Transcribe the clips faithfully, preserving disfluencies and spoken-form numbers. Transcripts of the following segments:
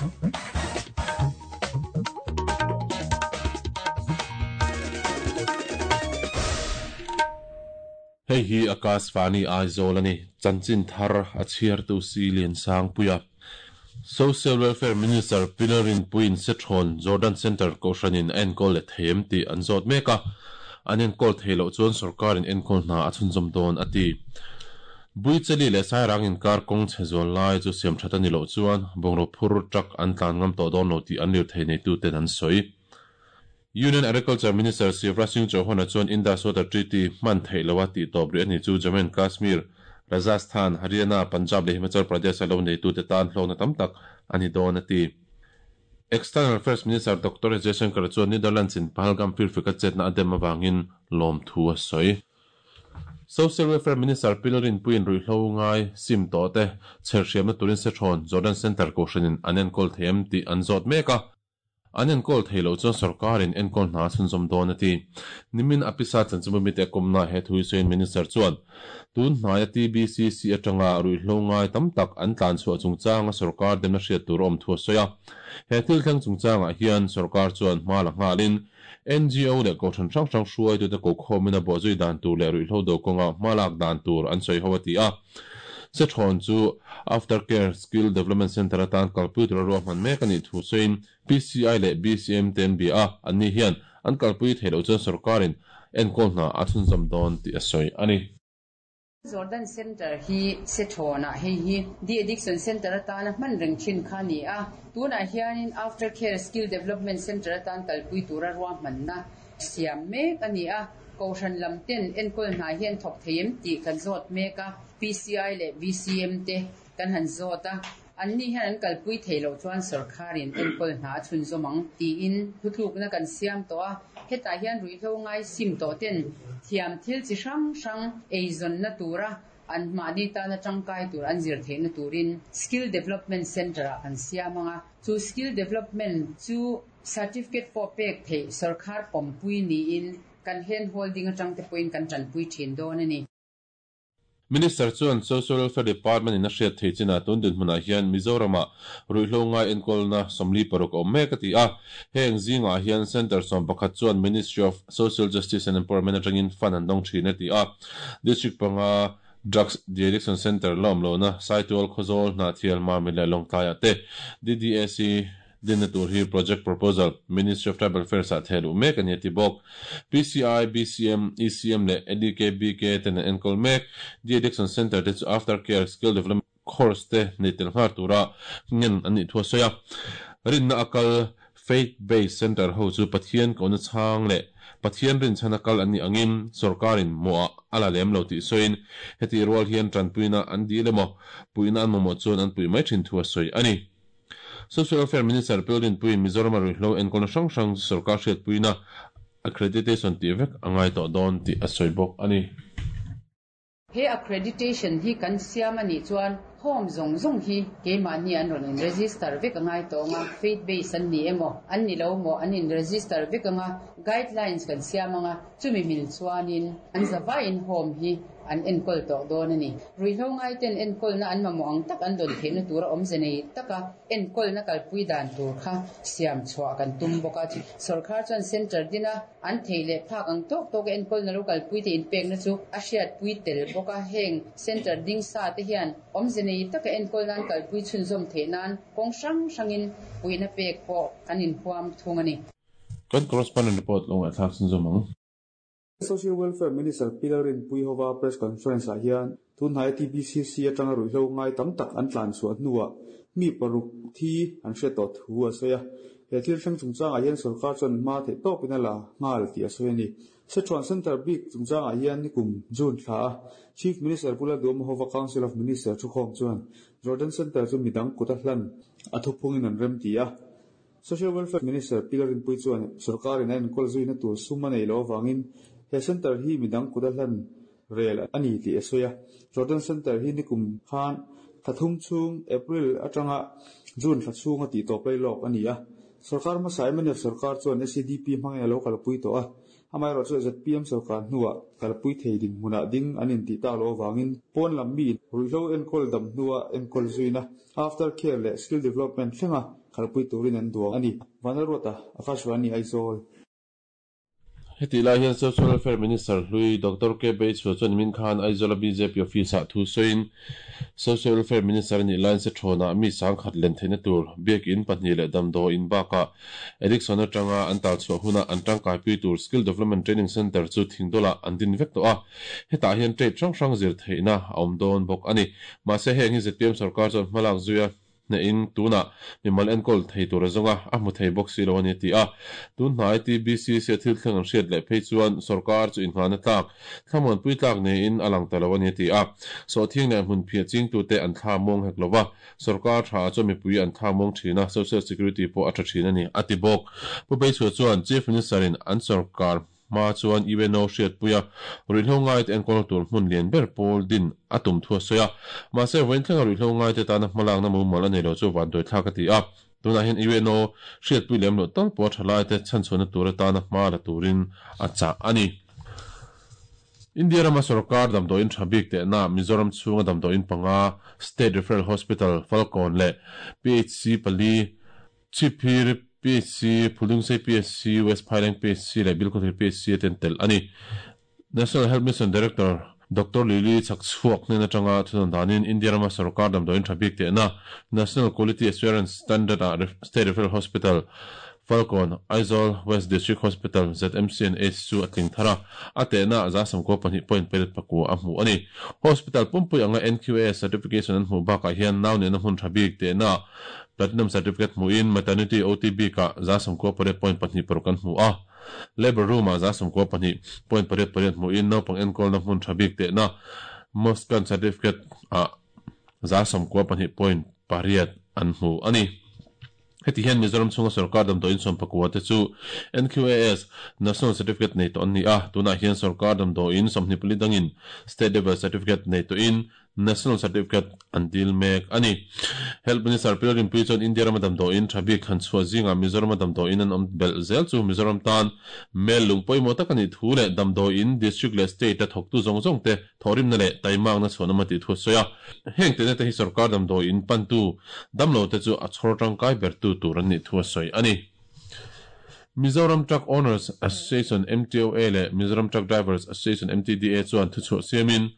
Hei hi Akashvani Aizawl ani chanchin thar a chhiartu si lian sang puia Social Welfare Minister Pilarin Puin Sethon Jordan Center ko hranin enkawl le them ti an zawt meka an enkawl theilo chuan sarkarin enkawl hna a chhunzawm dawn ati Buicheli le sairang in kar kong chezol lai chu siam thatani lo chuan bongro phur truck an tlan ngam to dawn lo ti an lir thei nei tu ten an soi Union Agriculture Minister Shivraj Singh Chauhan chuan Indus Water Treaty man theilowa ti tawp ri ani chu Jammu and Kashmir Rajasthan Haryana Punjab le Himachal Pradesh lo nei tu te tan hlawna tam tak ani dawn ati External Affairs Minister Doctor Jaishankar chuan Netherlands in Pahalgam firfika chetna adem awangin lawm thu a sawi Social Welfare Minister Pilarin Puin Ruihlo ngai sim to te cherhriamna turin Sethon Jordan Center ko hranin an enkawl them ti an zawt meka an enkawl theilo chuan sarkarin enkawl hna chhunzawm dawn ati nimin apisa chanchimumi te kumna he thui soin minister chuan tun hnaia T B C C atanga ruihlo ngai tam tak an tlan chhuah chungchanga sarkar demna hriat tur awm thu a sawi a he thil thleng chungchangah hian sarkar chuan hma la nghalin N G O le ko than hrang hrang hruai tu te ko khawmin a bawhzui dan tur leh ruihhlo do kawnga hma lak dan tur an sawi ho ati a Sethon chu Aftercare Skill Development Center atan kalpui tur ruahman mek ani thu sawiin P C I leh B C M ten bi a anni hian an kalpui theilo chuan sarkarin enkawl hna a chhunzawm dawn tih a sawi ani Jordan Center hi Sethona hei hi De Addiction Center atana hman reng thin kha ni a tuna hianin Aftercare Skill Development Center atan kalpui tura ruahmanna siam mek ani a ko hran lam ten enkawl hna hian thawk theim tih kan zawt mek a P C I leh B C M te kan han zawt a anni hian an kalpui theilo chuan sarkarin enkawl hna chhunzawm ang tiin thutlukna kan siam tawh a hetah hian ruihhlo ngai sim tawh ten thiam thil chi hrang hrang eizawnna tura an mahni tana tangkai tur an zir theihna turin Skill Development Center ah kan siam anga chu skill development chu certificate pawh pek theih sarkar pawmpui niin kan hand holding atang te pawhin kan tanpui thin dawn ani Minister chuan Social Welfare Department in a hriat thei china tun din hmunah hian Mizorama ruihhlo ngai enkawlna sawmli paruk awm mek ati a heng zingah hian Center sawm pakhat chuan Ministry of Social Justice and Empowerment atangin fund an dawng thin ati a District panga Drugs De-Addiction Center la awm lohna Saitual Khawzawl Hnahthial Mamit leh Lawngtlaiah te D D A C dinna tur hi project proposal Ministry of Tribal Affairs ah thehluh mek ani ati bawk P C I B C M E C M leh L E K B K ten an enkawl mek De-Addiction Center te chu Aftercare Skill Development Course te nei tel nghal tura ngen an nih thu a sawi a rinna akal Faith Based Center ho chu Pathian kona chhang leh Pathian rin chhan akal an ni angin sarkarin moa ala lem lo tih sawiin heti rual hian tanpuina an dil emaw puina an mamawh chuan an pui mai thin thu a sawi ani Social Welfare Minister Pilarin Puin Mizoram ruihhlo enkawlna hrang hrang sarkar hriat puina accreditation tih vek angai tawh dawn tih a sawi bawk ani He accreditation hi kan siam ani chuan home zong zong hi keimahni an rawn in register vek angai tawnga faith based an ni emaw an ni lo maw an in register vek anga guidelines kan siam anga chumi mil chuanin an zawai in home hi an enkawl tawh dawn ani ruihhlo ngai ten enkawl na an mamawh ang tak an dawn theihna tura awmze nei taka enkawl na kalpui dan tur kha siam chhuah kan tum bawk a sarkar chuan center dina an thei leh phak ang tawk tawk enkawl na lo kalpui te inpek na chu a hriat pui tel bawk a heng center ding sa te hian awmze nei taka enkawl nan kalpui chhunzawm theih nan kawng hrang hrangin puina pek pawh an inhuam thung ani Kan correspondent report long a thlak chhunzawm ang Social Welfare Minister Pilarin Puihova press conference ah hian tun hnai T B C C atanga ruihhlo ngai tam tak an tlan chhuah hnuah mi paruk thi an hriat tawh thu a sawi a he thil thleng chungchangah hian sarkar chuan hma theih tawpin a la nghal tih a sawi ani Sethon Center bik chungchangah hian nikum June thla a Chief Minister Pula Duhomhova Council of Minister thukhawm chuan Jordan Center chu midang kut a hlan a thuphungin an rem ti a Social Welfare Minister Pilarin Pui chuan sarkarin a enkawl zuina tur sum a nei lo awangin he center hi midang kut a hlan rel ani tih a sawi a Jordan Center hi nikum khan thathum chung April atanga June thla chhunga tih tawp lai lawk ani a sarkar hmasa M N F sarkar chuan S C D P hmangin a lo kalpui tawh a Amaherawh chu Z P M sarkar hnuah kalpui thei din hmunah ding an inti tak lo awangin pawn lam mi ruihhlo enkawl dam hnua enkawl zuina after care leh skill development thlenga khalpui turin an duang ani. Vanlalruata, Akashvani Aizawl. Heti lai hian Social Welfare Minister hlui Doctor K Beichhua chuan min khan Aizawl B J P office ah thu sawiin Social Welfare Minister ni line se thona mi sang khat len theina tur biak in pahnih leh damdaw in baka addiction atanga an tal chhuah huna an tangkai pui tur Skill Development Training Center chu thingdola an din vek to a hetah hian trade hrang hrang zir theihna a awm dawn bawk ani. Mahse heng hi Z P M sarkar chuan hmalak zuia na in tuna mimal enkawl thei tur azonga a hmu thei bawk si lo ani ti a tun hnai T B C C thil thleng an hriat leh phei chuan sarkar chu inhngana tlak thlamuan pui tlak nei in alang ta lo ani ti a so thing leh hmun phia ching tu te an thla mawng hek lova sarkar tha chu mipui an thla mawng thina social security pawh a tha thin ani ati bawk. Pu Beichhua chuan Chief Minister in an sarkar ma chuan U N O hriat puia ruihhlo ngai te enkawl tur hmun lian ber pawl din a tum thua sawi a mahse vawiin thlenga ruihhlo ngai te tana hmalak na mumal a nei lo chu van dawih thlak a ti a tunah hian U N O hriat pui lem loh tal pawh thalai te chhanchhuahna tur atana hma la turin a chah ani. India rama sarkar damdawiin tha bik te na Mizoram chhunga damdawiin panga State Referral Hospital Falcon leh P H C pali Chhiphir P H C, Phulungsei P H C, West Phaileng P H C leh Bilkhawthlir P H C ten tel ani. National Health Mission Director Doctor Lily Chakchhuak hnen atanga thunawn danin India rama sarkar damdawiin tha bik te na National Quality Assurance Standard ah State Referral Hospital Falcon, Aizawl West District Hospital Z M C N H chu a tling thara a te na za samko pahnih point pariat pakua a hmu ani. Hospital pumpui anga N Q A certification an hmu bakah hian nau nena hmun tha bik te na Platinum Certificate hmu in Maternity O T B ka za samko pariat point pahnih paruk an hmu a Labor Room ah za samko pahnih point pariat pariat hmu in naupang enkawl na hmun tha bik te na Moscan Certificate a za samko pahnih point pariat an hmu ani. Heti hian Mizoram chhunga sarkar damdawiin sawm pakua te chu N Q A S National Certificate nei to an ni a tunah hian sarkar damdawiin sawmhnih pali dangin State Level Certificate nei to in National Certificate an dil mek ani. Health Minister Pilgrim Pui chuan India rama damdawiin tha bik han chhuah zinga Mizoram damdawiin an awm belh zel chu Mizoram tan mel lung pawimawh tak ani thu leh damdawiin district leh state a thawktu zawng zawng te thawrimna leh taimakna chhuahna ma tih thu a sawi a heng te te hi sarkar damdawiin pantu damlo te chu a chhawr tangkai ber tu tur an nih thu a sawi ani. Mizoram Truck Owners Association M T O A leh Mizoram Truck Drivers Association M T D A chuan thu chhuah siamin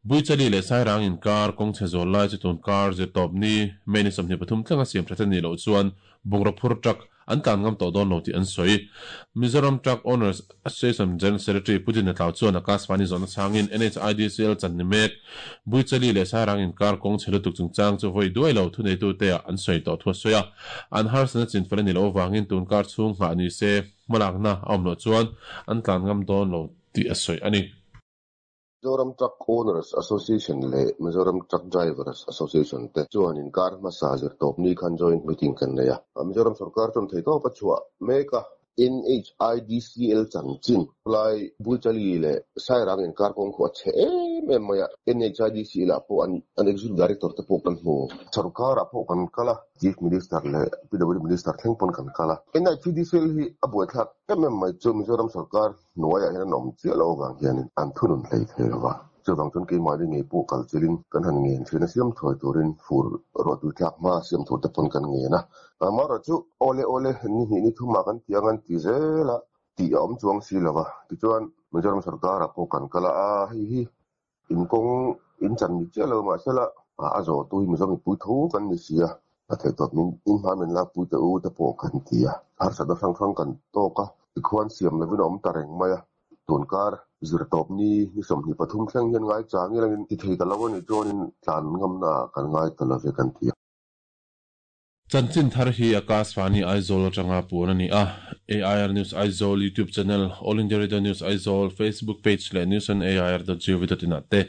Buichali leh Sairang in kar kawng chhe zawl lai chu tun kar zir tawp ni May ni sawmhnih pathum thlenga siam tha ni loh chuan bungraw phur truck an tlan ngam tawh dawn lo tih an sawi. Mizoram Truck Owners Association General Secretary Putin Atlau chuan Akashvani zawhna changin N H I D C L chan ni mek Buichali leh Sairang in kar kawng chhe lutuk chungchang chu vawi duai lo thu neitu te ah an sawi tawh thu a sawi a an harsana chin fel ani lo awangin tun kar chhung nghah ni se hmalakna a awm loh chuan an tlan ngam dawn lo tih a sawi ani. Mizoram Truck Owners Association leh Mizoram Truck Drivers Association te chuan in kar hmasa zir tawp ni khan joint meeting kan nei a. Mizoram sarkar chuan thei tawp a chhuah mek a N H I D C L chanchin lai Buichali leh Sairang in kar kawng khu a chhe em em mai a N H I D C L ah pawh an an executive director te pawh kan hmu sarkar ah pawh kan kal a Chief Minister leh P W Minister thleng pawn kan kal a N H I D C L hi a buai thlak em em mai chu Mizoram sarkar hnuaiah hian an awm chiah lo avang hianin an thunun hlei thei lova chuvang chuan keimahni ngei pawh kal chilin kan han ngen thin a siam thuai turin fur ruah tui tlak hma siam tur te pawn kan ngen a amara chu awle awle ni hnih ni thuma kan tiang an ti zel a tih a awm chuang si lova tichuan Mizoram sarkar ah pawh kan kal a hei hi in kawng in chan ni chiah lo mahsela a zawh tu hi Mizoram mipui tho kan ni si a a thei tawp min in hma min lak pui te u te pawh kan ti a harsatna hrang hrang kan tawk a tikhuan siam lovin a awm ta reng mai a tun kar zir tawp ni ni sawmhnih pathum thleng hian ngai chang ilangin ti thei ta lo ani chuanin tlan ngamna kan ngai ta love kan ti a. Chanchin thar hi Akashvani Aizawl atanga puan ani a A I R News Aizawl YouTube channel, All India Radio News Aizawl Facebook page leh news on A I R dot gov dot in ah te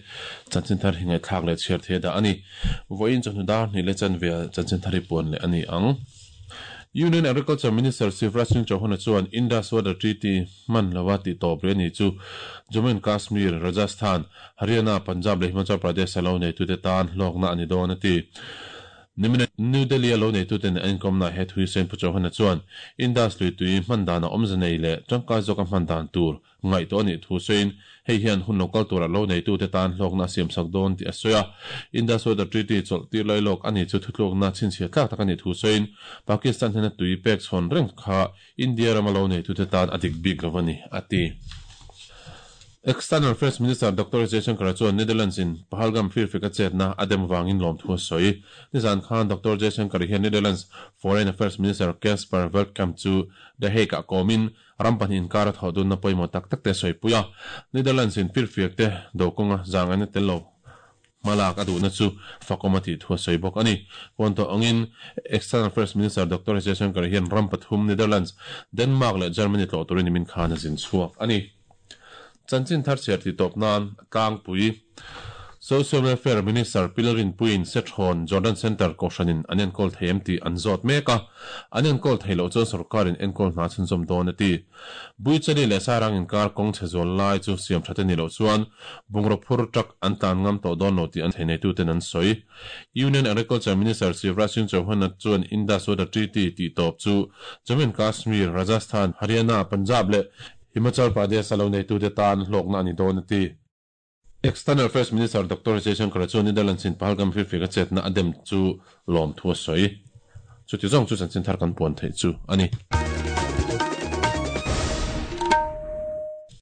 chanchin thar hi ngai thlak leh chhiar the da ani. Vawiin chawhnu dar hnih leh chan ve chanchin thar hi puan leh ani ang. Union Agriculture Minister Shivraj Singh Chauhan chuan Indus Water Treaty man lawa ti tawp re ni chu Jammu and Kashmir, Rajasthan, Haryana, Punjab leh Himachal Pradesh alo nei tu te tan hlawkna ani dawn a ti. Nimina New Delhi a lo neituten an inkawmna he thui sawiin Pu Chauhan-a chuan Indus lui tui hman dana awmze nei leh tangkai zawka hman dan tur ngaihtuah a nih thu sawiin hei hian hun lo kal tura lo neitute tan hlawkna a siamsak dawn tih a sawi a. Indus Water Treaty chawlh tir lai lawk a ni chu thutlukna chhinchhiah tlak tak a nih thu sawiin Pakistan hnena tui pek chhawn reng kha India rama lo neitute tan a dik bik lo a ni, a ti. External Affairs Minister Doctor Jaishankar chuan Netherlands in Pahalgam firfik a chetna a dem vangin lawmthu a sawi. Nizan khan Doctor Jaishankar hian Netherlands Foreign Affairs Minister Caspar Veldkamp chu The Hague ah kawmin ram pahnih inkar a thawh dunna pawimawh tak tak te a sawipui a. Netherlands in firfiak te do kawnga zangaina tel lo hmalak a duhna chu fakawm a tih thu a sawi bawk a ni. Puan tawh angin External Affairs Minister Doctor Jaishankar hian ram pathum Netherlands, Denmark leh Germany tlawh turin nimin khan a zin chhuak a ni. Chanchin thar chhiar tih tawp nan tlangpui Social Welfare Minister Pi Lalrinpuiin Sethrawn Jordan Centre Kohhranin an enkawl thei em tih an zawt mek a, an enkawl thei loh chuan sorkarin enkawl hna chhunzawm dawn a ti. Buichali leh Sairang inkar kawng chhe zual lai chu siam that a ni loh chuan bungraw phur truck an tlan ngam tawh dawn lo tih an theihneituten an sawi. Union Agriculture Minister Shivraj Singh Chauhan chuan Indus Water Treaty tih tawp chu Jammu and Kashmir, Rajasthan, Haryana, Punjab leh Himachal Pradesh a lo neitute tan hlawkna a ni dawn a ti. External Affairs Minister Doctor Jaishankar chuan Netherlands in Pahalgam firfik a chetna a dem chu lawmthu a sawi. Chuti zawng chu chanchin thar kan puan theih chu a ni.